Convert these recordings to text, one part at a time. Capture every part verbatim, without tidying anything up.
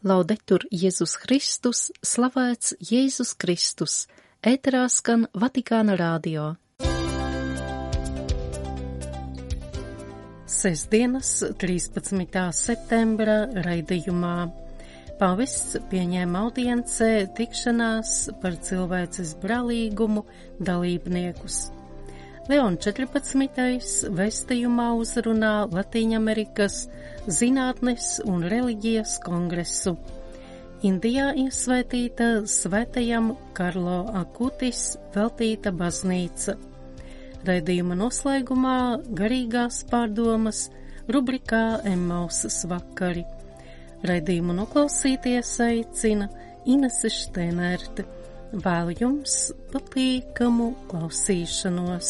Laudetur Jēzus Kristus, slavēts Jēzus Kristus, ēterā skan Vatikāna rādio. Sestdienas, trīspadsmitā septembra raidījumā pāvests pieņēma audiencē tikšanās par cilvēces brālīgumu dalībniekus. Leons četrpadsmitais vēstījumā uzrunā Latīņamerikas zinātnes un reliģijas kongresu. Indijā iesvētīta svētajam Karlo Akutis veltīta baznīca. Raidījuma noslēgumā garīgās pārdomas rubrikā Emmausas vakari. Raidījumu noklausīties aicina Inese Šteinerte. Vēlu jums patīkamu klausīšanos.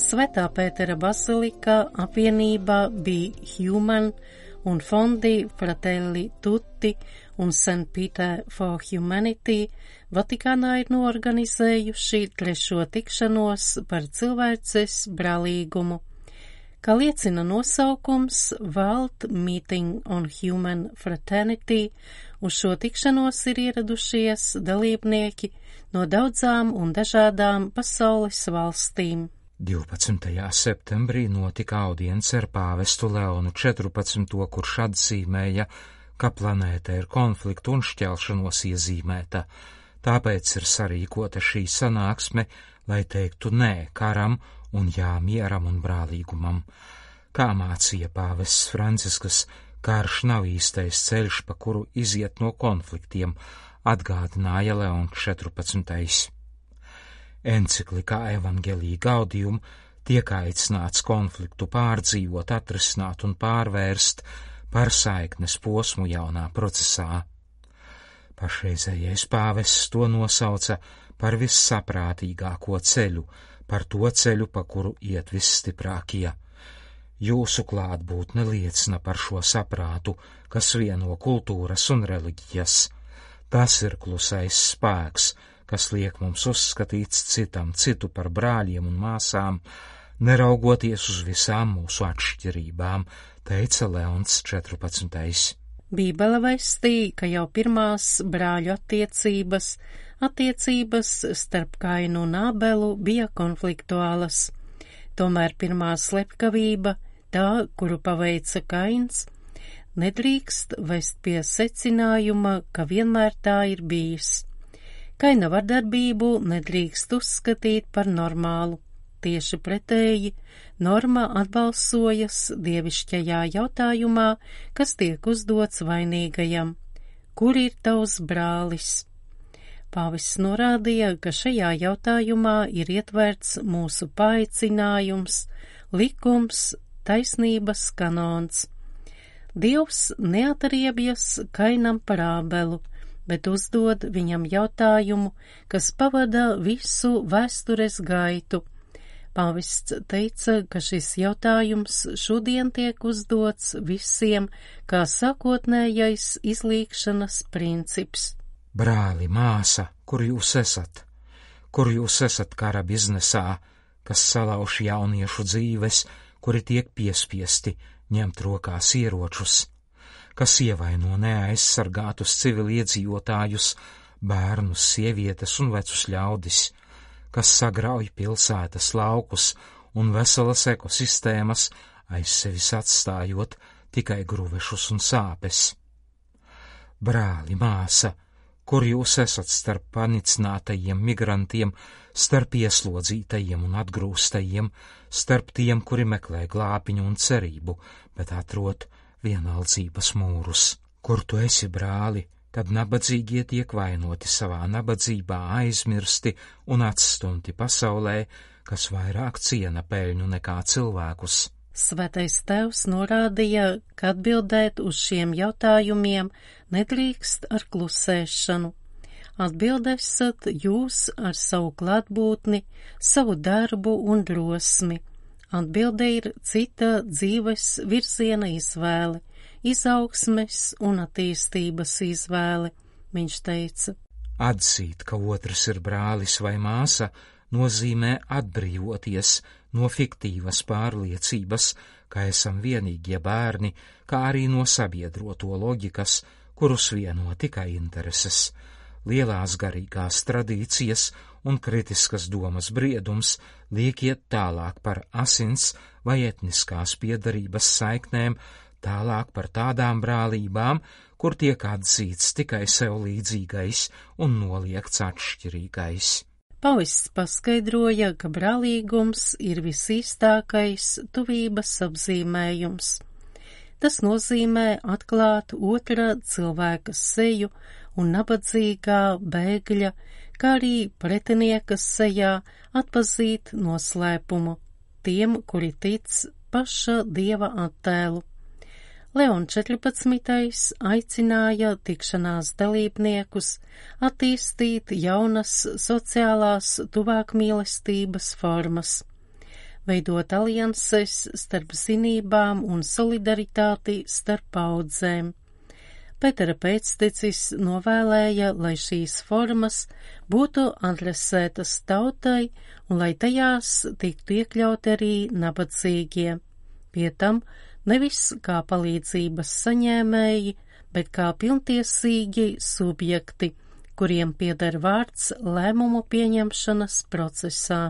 Svētā Pētera bazilika apvienībā bija Human un fondi Fratelli Tutti un Saint Peter for Humanity Vatikānā ir noorganizējuši trešo tikšanos par cilvēces brālīgumu. Kā liecina nosaukums World Meeting on Human Fraternity, uz šo tikšanos ir ieradušies dalībnieki no daudzām un dažādām pasaules valstīm. divpadsmitajā septembrī notika audience ar pāvestu Leonu četrpadsmito, kurš atzīmēja, ka planēta ir konfliktu un šķelšanos iezīmēta. Tāpēc ir sarīkota šī sanāksme, lai teiktu nē karam un jā mieram un brālīgumam. Kā mācīja pāvests Francisks, karš nav īstais ceļš, pa kuru iziet no konfliktiem, atgādināja Leons četrpadsmitais. Enciklikā Evangelii Gaudium tiek aicināts konfliktu pārdzīvot, atrisināt un pārvērst par saiknes posmu jaunā procesā. Pašreizējais pāvests to nosauca par vissaprātīgāko ceļu, par to ceļu, pa kuru iet visstiprākie. Jūsu klātbūtne liecina par šo saprātu, kas vieno kultūras un reliģijas. Tas ir klusais spēks, kas liek mums uzskatīt citam citu par brāļiem un māsām, neraugoties uz visām mūsu atšķirībām, teica Leons četrpadsmitais. Bībele vēstīja, ka jau pirmās brāļu attiecības, attiecības starp Kainu un Ābelu bija konfliktuālas. Tomēr pirmā slepkavība, tā, kuru paveica Kains, nedrīkst vest pie secinājuma, ka vienmēr tā ir bijis. Kaina vardarbību nedrīkst uzskatīt par normālu. Tieši pretēji, norma atbalsojas dievišķajā jautājumā, kas tiek uzdots vainīgajam. Kur ir tavs brālis? Pāvests norādīja, ka šajā jautājumā ir ietverts mūsu paaicinājums, likums, taisnības kanons. Dievs neatriebjas Kainam par Ābelu, bet uzdod viņam jautājumu, kas pavada visu vēstures gaitu. Pāvests teica, ka šis jautājums šodien tiek uzdots visiem kā sākotnējais izlīgšanas princips. Brāli, māsa, kur jūs esat? Kur jūs esat kara biznesā, kas salauž jauniešu dzīves, kuri tiek piespiesti ņemt rokās ieročus, kas ievaino neaizsargātus civiliedzīvotājus, bērnus, sievietes un vecus ļaudis, kas sagrauj pilsētas laukus un veselas ekosistēmas, aiz sevis atstājot tikai gruvešus un sāpes. Brāli, māsa, kur jūs esat starp panicinātajiem migrantiem, starp ieslodzītajiem un atgrūstajiem, starp tiem, kuri meklē glābiņu un cerību, bet atrod vienaldzības mūrus? Kur tu esi, brāli, kad nabadzīgie tiek vainoti savā nabadzībā, aizmirsti un atstumti pasaulē, kas vairāk ciena peļņu nekā cilvēkus? Svētais Tēvs norādīja, ka atbildēt uz šiem jautājumiem nedrīkst ar klusēšanu. Atbildēsiet jūs ar savu klātbūtni, savu darbu un drosmi. Atbilde ir cita dzīves virziena izvēle, izaugsmes un attīstības izvēle, viņš teica. Atzīt, ka otrs ir brālis vai māsa, nozīmē atbrīvoties no fiktīvas pārliecības, ka esam vienīgie bērni, kā arī no sabiedroto loģikas, kurus vieno tikai intereses. Lielās garīgās tradīcijas un kritiskas domas briedums liek iet tālāk par asins vai etniskās piedarības saiknēm, tālāk par tādām brālībām, kur tiek atzīts tikai sev līdzīgais un noliegts atšķirīgais. Pāvests paskaidroja, ka brālīgums ir visīstākais tuvības apzīmējums. Tas nozīmē atklāt otra cilvēka seju un nabadzīgā bēgļa, kā arī pretinieka sejā atpazīt noslēpumu tiem, kuri tic paša Dieva attēlu. Leons četrpadsmitais aicināja tikšanās dalībniekus attīstīt jaunas sociālās tuvākmīlestības formas, veidot alianses starp zinībām un solidaritāti starp paudzēm. Pētera pēctecis novēlēja, lai šīs formas būtu adresētas tautai un lai tajās tiktu iekļauti arī nabadzīgie. Pie tam nevis kā palīdzības saņēmēji, bet kā pilntiesīgi subjekti, kuriem pieder vārds lēmumu pieņemšanas procesā.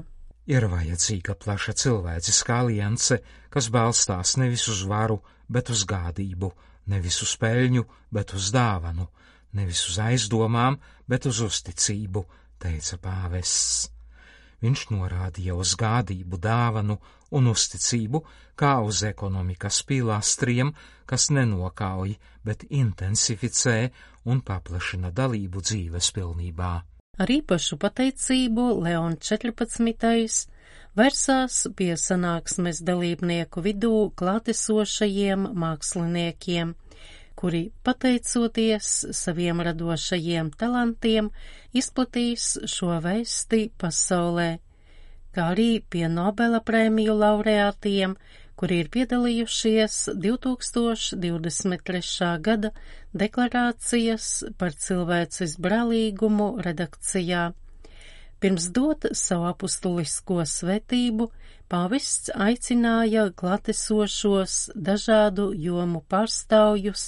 Ir vajadzīga plaša cilvēciskā alianse, kas balstās nevis uz varu, bet uz gādību, nevis uz peļņu, bet uz dāvanu, nevis uz aizdomām, bet uz uzticību, teica pāvests. Viņš norādīja uz gādību, dāvanu un uzticību kā uz ekonomikas pīlāstriem, kas nenokauj, bet intensificē un paplašina dalību dzīves pilnībā. Ar īpašu pateicību Leons četrpadsmitais versās pie sanāksmes dalībnieku vidū klātesošajiem māksliniekiem, kuri, pateicoties saviem radošajiem talantiem, izplatīs šo vēsti pasaulē, kā arī pie Nobela prēmiju laureātiem, kuri ir piedalījušies divtūkstoš divdesmit trešā gada deklarācijas par cilvēces brālīgumu redakcijā. Pirms dot savu apustulisko svētību, pāvests aicināja klātesošos dažādu jomu pārstāvjus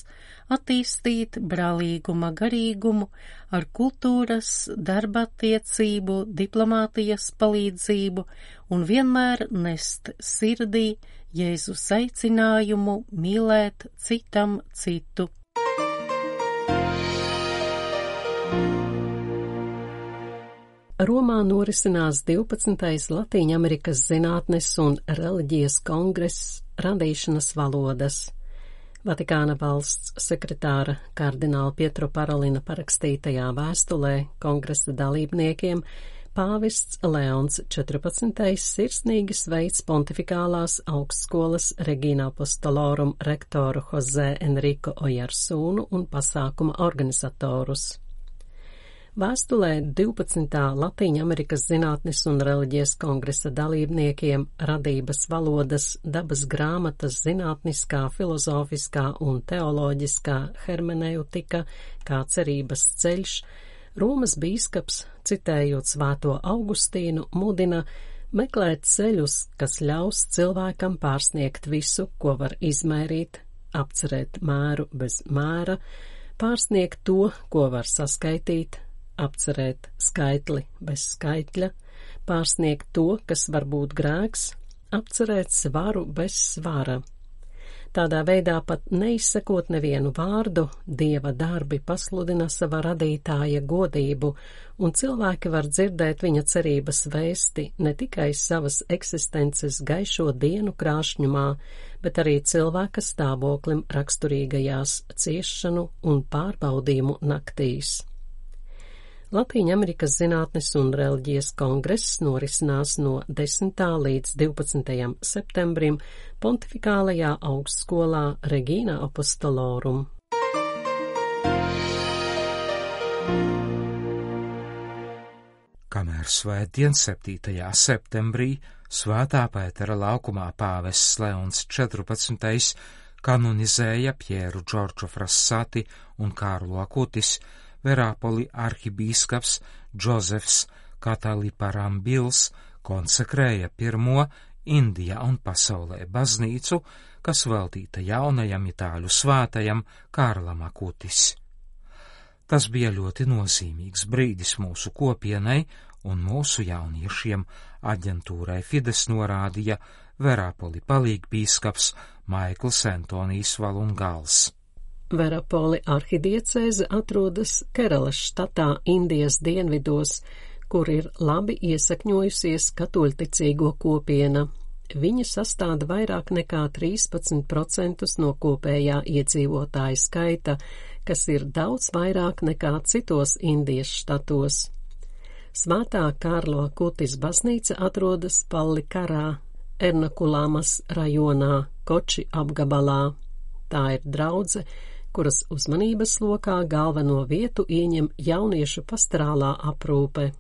attīstīt brālīguma garīgumu ar kultūras, darba attiecību, diplomātijas palīdzību un vienmēr nest sirdī Jēzus aicinājumu mīlēt citam citu. Romā norisinās divpadsmitais Latīņamerikas zinātnes un reliģijas kongress radīšanas valodas. Vatikāna valsts sekretāra kardināla Pietro Parolina parakstītajā vēstulē kongresa dalībniekiem pāvests Leons četrpadsmitais sirsnīgi sveic pontifikālās augstskolas Regina Apostolorum rektoru Jose Enrico Ojarsūnu un pasākuma organizatorus. Vēstulē divpadsmitā Latīņamerikas zinātnes un reliģijas kongresa dalībniekiem radības valodas, dabas grāmatas, zinātniskā, filozofiskā un teoloģiskā hermeneutika kā cerības ceļš, Romas bīskaps, citējot svēto Augustīnu, mudina meklēt ceļus, kas ļaus cilvēkam pārsniegt visu, ko var izmērīt, apcerēt mēru bez mēra, pārsniegt to, ko var saskaitīt, apcerēt skaitli bez skaitļa, pārsniegt to, kas var būt grēks, apcerēt svaru bez svara. Tādā veidā pat neizsakot nevienu vārdu, Dieva darbi pasludina sava radītāja godību, un cilvēki var dzirdēt viņa cerības vēsti ne tikai savas eksistences gaišo dienu krāšņumā, bet arī cilvēka stāvoklim raksturīgajās ciešanu un pārbaudījumu naktīs. Latīņamerikas zinātnes un reliģijas kongress norisinās no desmitā līdz divpadsmitajam septembrim pontifikālajā augstskolā Regina Apostolorum. Kamēr svētdien septītajā septembrī Svētā Pētera laukumā pāvests Leons četrpadsmitais kanonizēja Pjeru Džordžu Frassati un Kārlu Akutis, Verāpoli arhibīskaps Džozefs Kataliparambils konsekrēja pirmo Indijā un pasaulē baznīcu, kas veltīta jaunajam itāļu svētajam Kārlam Akutis. Tas bija ļoti nozīmīgs brīdis mūsu kopienai un mūsu jauniešiem. Aģentūrai Fides norādīja Verapoli palīgbīskaps Maikls Antonijs Valungals. Verapoli arhidiecēze atrodas Keralas štatā Indijas dienvidos, kur ir labi iesakņojusies katoļticīgo kopiena. Viņa sastāda vairāk nekā trīspadsmit procentus no kopējā iedzīvotāju skaita, kas ir daudz vairāk nekā citos Indijas štatos. Svētā Kārlo Akutis baznīca atrodas Pallikarā, Ernakulāmas rajonā, Koči apgabalā. Tā ir draudze, kuras uzmanības lokā galveno vietu ieņem jauniešu pastorālā aprūpe.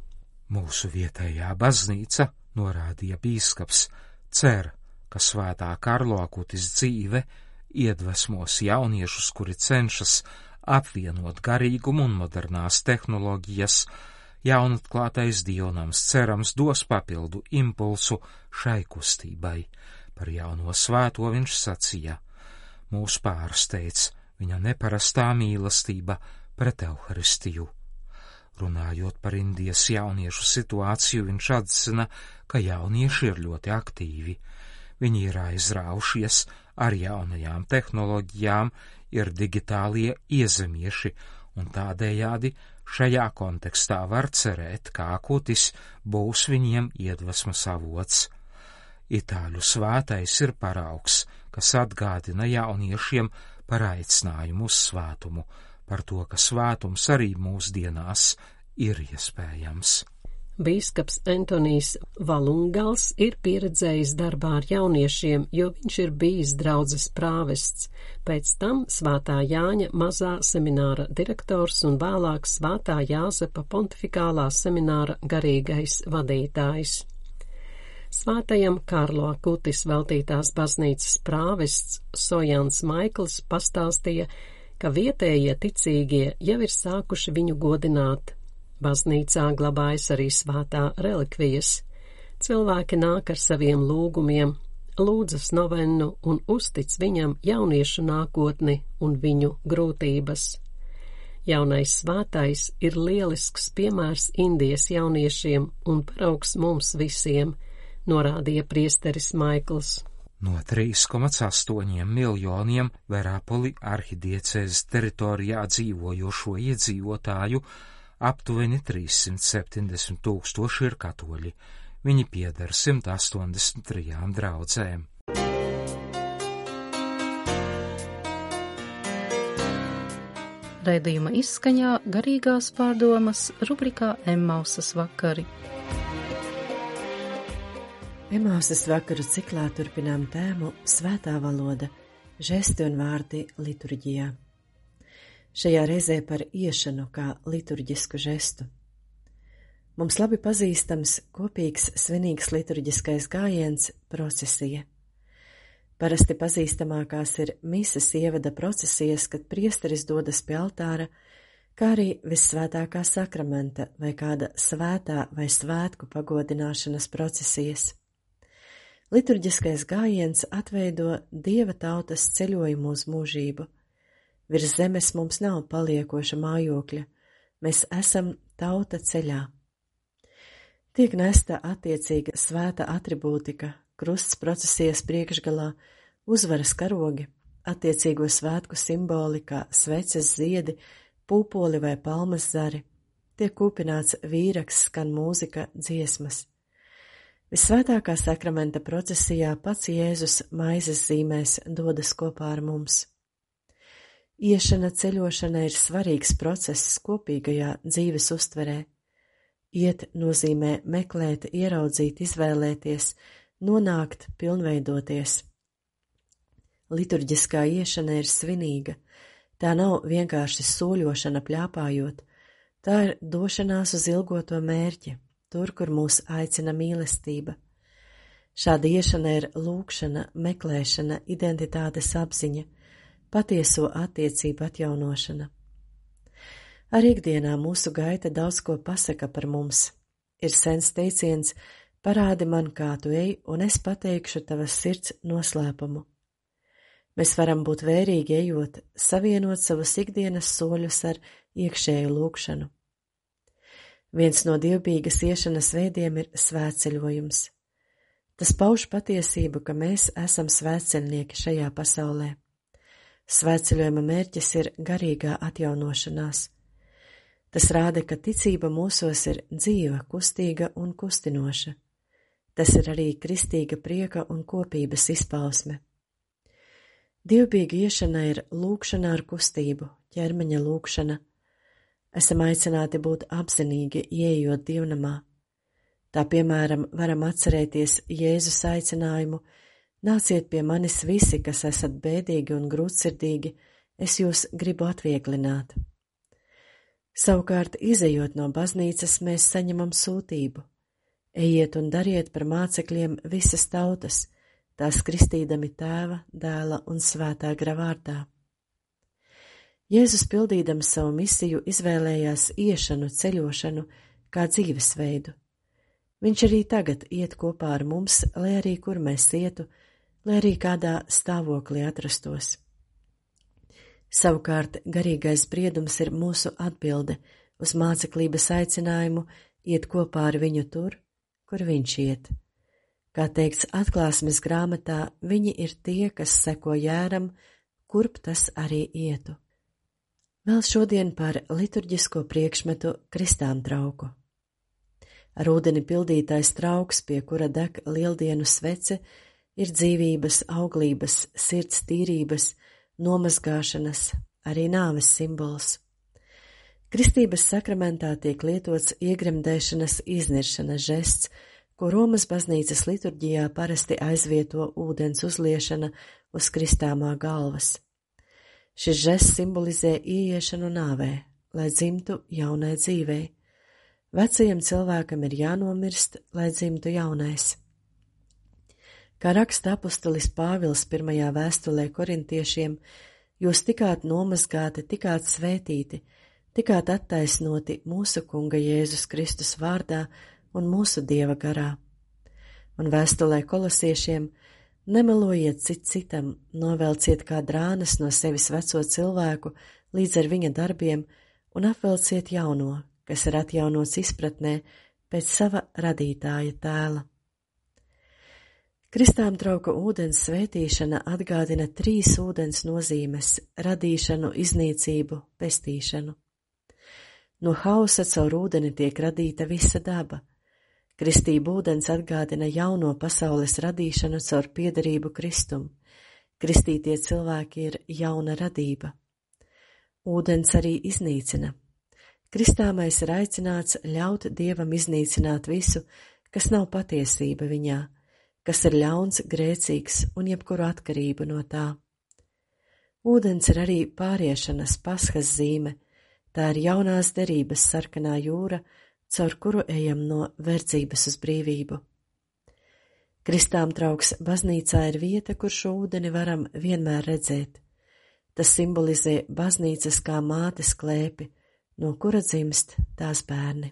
Mūsu vietējā baznīca, norādīja bīskaps, cer, ka svētā Kārlo Akutis dzīve iedvesmos jauniešus, kuri cenšas apvienot garīgumu un modernās tehnoloģijas. Jaunatklātais dievnams cerams dos papildu impulsu šai kustībai. Par jauno svēto viņš sacīja: mūs pārsteidz viņa neparastā mīlestība pret Euharistiju. Runājot par Indijas jauniešu situāciju, viņš atzina, ka jaunieši ir ļoti aktīvi. Viņi ir aizraušies ar jaunajām tehnoloģijām, ir digitālie iezemieši, un tādējādi šajā kontekstā var cerēt, ka Akutis būs viņiem iedvesmas avots. Itāļu svētais ir paraugs, kas atgādina jauniešiem par aicinājumu uz svētumu, par to, ka svētums arī mūsdienās ir iespējams. Bīskaps Antonijs Valungals ir pieredzējis darbā ar jauniešiem, jo viņš ir bijis draudzes prāvests, pēc tam Svētā Jāņa mazā semināra direktors un vēlāk Svētā Jāzepa pontifikālā semināra garīgais vadītājs. Svētajam Kārlo Akutis veltītās baznīcas prāvests Sojans Maikls pastāstīja, ka vietējie ticīgie jau ir sākuši viņu godināt. Baznīcā glabājas arī svētā relikvijas. Cilvēki nāk ar saviem lūgumiem, lūdzas novennu un uztic viņam jauniešu nākotni un viņu grūtības. Jaunais svētais ir lielisks piemērs Indijas jauniešiem un paraugs mums visiem, norādīja priesteris Maikls. No trīs komats astoņiem miljoniem Verapoli arhidiecēzes teritorijā dzīvojošo iedzīvotāju aptuveni trīssimt septiņdesmit tūkstoši ir katoļi. Viņi pieder simt astoņdesmit trijām draudzēm. Raidījuma izskaņā garīgās pārdomas rubrikā Emmausas vakari. Emmausas vakaru ciklā turpinām tēmu Svētā valoda, žesti un vārdi liturģijā. Šajā reizē par iešanu kā liturģisku žestu. Mums labi pazīstams kopīgs svinīgs liturģiskais gājiens procesija. Parasti pazīstamākās ir mises ievada procesijas, kad priesteris dodas pie altāra, kā arī vissvētākā sakramenta vai kāda svētā vai svētku pagodināšanas procesijas. Liturģiskais gājiens atveido Dieva tautas ceļojumu uz mūžību. Virs zemes mums nav paliekoša mājokļa, mēs esam tauta ceļā. Tiek nesta attiecīga svēta atribūtika, krusts procesijas priekšgalā, uzvaras karogi, attiecīgo svētku simboli kā sveces ziedi, pūpoli vai palmas zari, tiek kūpināts vīraks, skan mūzika, dziesmas. Visvētākā sakramenta procesijā pats Jēzus maizes zīmēs dodas kopā ar mums. Iešana ceļošana ir svarīgs process kopīgajā dzīves uztverē. Iet nozīmē meklēt, ieraudzīt, izvēlēties, nonākt, pilnveidoties. Liturģiskā iešana ir svinīga. Tā nav vienkārši soļošana pļāpājot. Tā ir došanās uz ilgoto mērķi, tur, kur mūs aicina mīlestība. Šāda iešana ir lūgšana, meklēšana, identitātes apziņa, patieso attiecību atjaunošana. Arī ikdienā mūsu gaita daudz ko pasaka par mums. Ir sens teiciens, Parādi man, kā tu ej, un es pateikšu tavas sirds noslēpumu. Mēs varam būt vērīgi ejot, savienot savus ikdienas soļus ar iekšēju lūgšanu. Viens no dievbijīgas iešanas veidiem ir svētceļojums. Tas pauž patiesību, ka mēs esam svētceļnieki šajā pasaulē. Svētceļojuma mērķis ir garīgā atjaunošanās. Tas rāda, ka ticība mūsos ir dzīva, kustīga un kustinoša. Tas ir arī kristīga prieka un kopības izpausme. Dievbijīga iešana ir lūgšana ar kustību, ķermeņa lūgšana. Esam aicināti būt apzinīgi, ieejot dievnamā. Tā piemēram varam atcerēties Jēzus aicinājumu: nāciet pie manis visi, kas esat bēdīgi un grūtsirdīgi, es jūs gribu atvieglināt. Savukārt, izejot no baznīcas, mēs saņemam sūtību: ejiet un dariet par mācekļiem visas tautas, tās kristīdami Tēva, Dēla un Svētā gara vārdā. Jēzus, pildīdams savu misiju, izvēlējās iešanu, ceļošanu kā dzīvesveidu. Viņš arī tagad iet kopā ar mums, lai arī kur mēs ietu, lai arī kādā stāvoklī atrastos. Savukārt, garīgais briedums ir mūsu atbilde uz māceklības aicinājumu iet kopā ar viņu tur, kur viņš iet. Kā teikts Atklāsmes grāmatā, viņi ir tie, kas seko jēram, kurp tas arī ietu. Vēl šodien par liturģisko priekšmetu kristām trauku. Ar ūdeni pildītais trauks, pie kura deg lieldienu svece, ir dzīvības, auglības, sirds tīrības, nomazgāšanas, arī nāves simbols. Kristības sakramentā tiek lietots iegremdēšanas izniršanas žests, ko Romas baznīcas liturģijā parasti aizvieto ūdens uzliešana uz kristāmā galvas. Šis žests simbolizē ieiešanu nāvē, lai dzimtu jaunai dzīvei. Vecajam cilvēkam ir jānomirst, lai dzimtu jaunais. Kā raksta apustulis Pāvils pirmajā vēstulē korintiešiem, jūs tikāt nomazgāti, tikāt svētīti, tikāt attaisnoti mūsu Kunga Jēzus Kristus vārdā un mūsu Dieva garā. Un vēstulē kolosiešiem: nemelojiet cit citam, novelciet kā drānas no sevis veco cilvēku līdz ar viņa darbiem un apvelciet jauno, kas ir atjaunots izpratnē pēc sava radītāja tēla. Kristām trauka ūdens svētīšana atgādina trīs ūdens nozīmes – radīšanu, iznīcību, pestīšanu. No hausa caur ūdeni tiek radīta visa daba. Kristība ūdens atgādina jauno pasaules radīšanu caur piederību Kristum. Kristītie cilvēki ir jauna radība. Ūdens arī iznīcina. Kristāmais ir aicināts ļaut Dievam iznīcināt visu, kas nav patiesība viņā, kas ir ļauns, grēcīgs un jebkuru atkarību no tā. Ūdens ir arī pāriešanas Paskas zīme, tā ir jaunās derības sarkanā jūra, caur kuru ejam no verdzības uz brīvību. Kristām trauks baznīcā ir vieta, kur šo ūdeni varam vienmēr redzēt. Tas simbolizē baznīcas kā mātes klēpi, no kura dzimst tās bērni.